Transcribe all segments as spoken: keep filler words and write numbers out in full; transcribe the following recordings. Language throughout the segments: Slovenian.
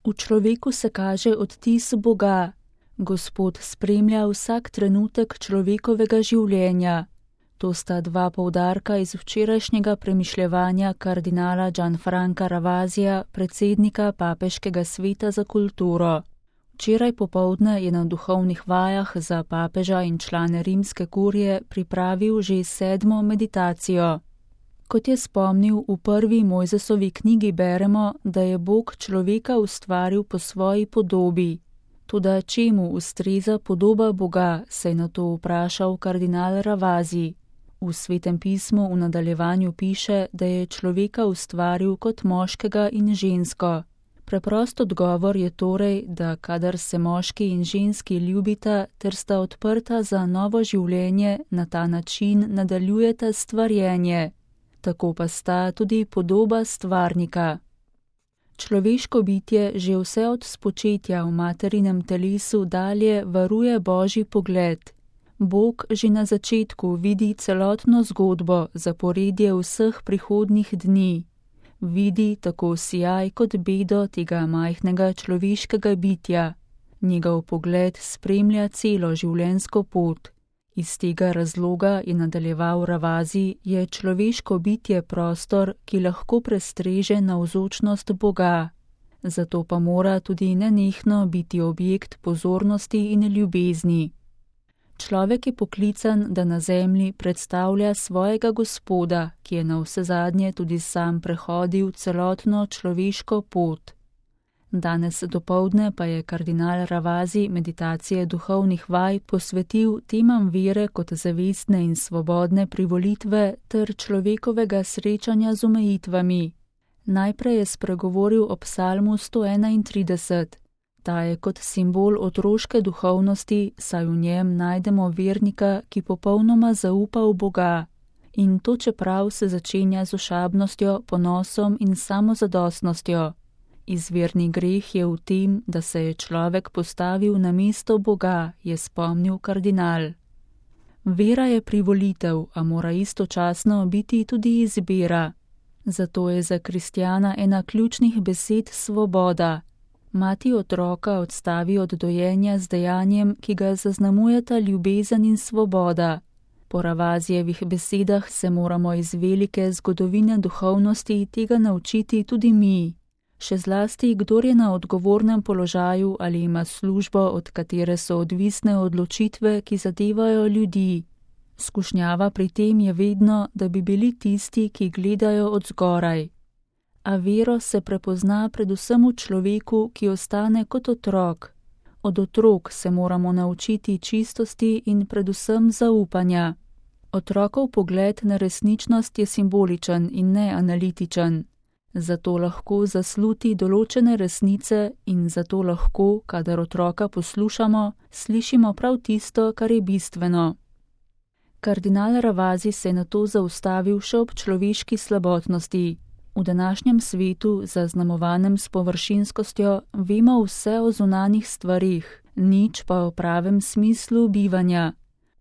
V človeku se kaže odtis Boga. Gospod spremlja vsak trenutek človekovega življenja. To sta dva poudarka iz včerajšnjega premišljevanja kardinala Gianfranca Ravasija, predsednika Papeškega sveta za kulturo. Včeraj popoldne je na duhovnih vajah za papeža in člane rimske kurije pripravil že sedmo meditacijo. Kot je spomnil, v prvi Mojzesovi knjigi beremo, da je Bog človeka ustvaril po svoji podobi. Toda čemu ustreza podoba Boga, se je na to vprašal kardinal Ravasi. V Svetem pismu v nadaljevanju piše, da je človeka ustvaril kot moškega in žensko. Preprost odgovor je torej, da kadar se moški in ženski ljubita ter sta odprta za novo življenje, na ta način nadaljujeta stvarjenje. Tako pa sta tudi podoba stvarnika. Človeško bitje že vse od spočetja v materinem telesu dalje varuje Božji pogled. Bog že na začetku vidi celotno zgodbo, zaporedje vseh prihodnjih dni. Vidi tako sijaj kot bedo tega majhnega človeškega bitja. Njegov pogled spremlja celo življenjsko pot. Iz tega razloga, je nadaljeval Ravasi, je človeško bitje prostor, ki lahko prestreže navzočnost Boga. Zato pa mora tudi nenehno biti objekt pozornosti in ljubezni. Človek je poklican, da na zemlji predstavlja svojega Gospoda, ki je navsezadnje tudi sam prehodil celotno človeško pot. Danes dopoldne pa je kardinal Ravasi meditacije duhovnih vaj posvetil temam vere kot zavestne in svobodne privolitve ter človekovega srečanja z omejitvami. Najprej je spregovoril o psalmu sto enaintrideset. Ta je kot simbol otroške duhovnosti, saj v njem najdemo vernika, ki popolnoma zaupa v Boga. In to čeprav se začenja z ošabnostjo, ponosom in samozadostnostjo. Izvirni greh je v tem, da se je človek postavil na mesto Boga, je spomnil kardinal. Vera je privolitev, a mora istočasno biti tudi izbira. Zato je za kristjana ena ključnih besed svoboda. Mati otroka odstavi od dojenja z dejanjem, ki ga zaznamujeta ljubezen in svoboda. Po Ravasijevih besedah se moramo iz velike zgodovine duhovnosti tega naučiti tudi mi. Še zlasti, kdor je na odgovornem položaju ali ima službo, od katere so odvisne odločitve, ki zadevajo ljudi. Skušnjava pri tem je vedno, da bi bili tisti, ki gledajo od zgoraj. A vero se prepozna predvsem v človeku, ki ostane kot otrok. Od otrok se moramo naučiti čistosti in predvsem zaupanja. Otrokov pogled na resničnost je simboličen in ne analitičen. Zato lahko zasluti določene resnice in zato lahko, kadar otroka poslušamo, slišimo prav tisto, kar je bistveno. Kardinal Ravasi se je nato zaustavil še ob človeški slabotnosti. V današnjem svetu, zaznamovanem s površinskostjo, vemo vse o zunanjih stvarih, nič pa o pravem smislu bivanja.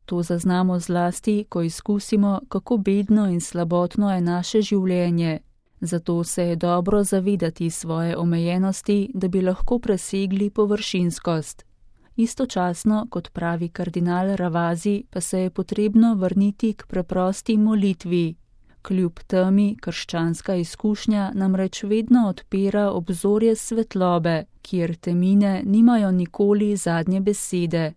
To zaznamo zlasti, ko izkusimo, kako bedno in slabotno je naše življenje. Zato se je dobro zavedati svoje omejenosti, da bi lahko presegli površinskost. Istočasno, kot pravi kardinal Ravasi, pa se je potrebno vrniti k preprosti molitvi. Kljub temi krščanska izkušnja namreč vedno odpira obzorje svetlobe, kjer temine nimajo nikoli zadnje besede.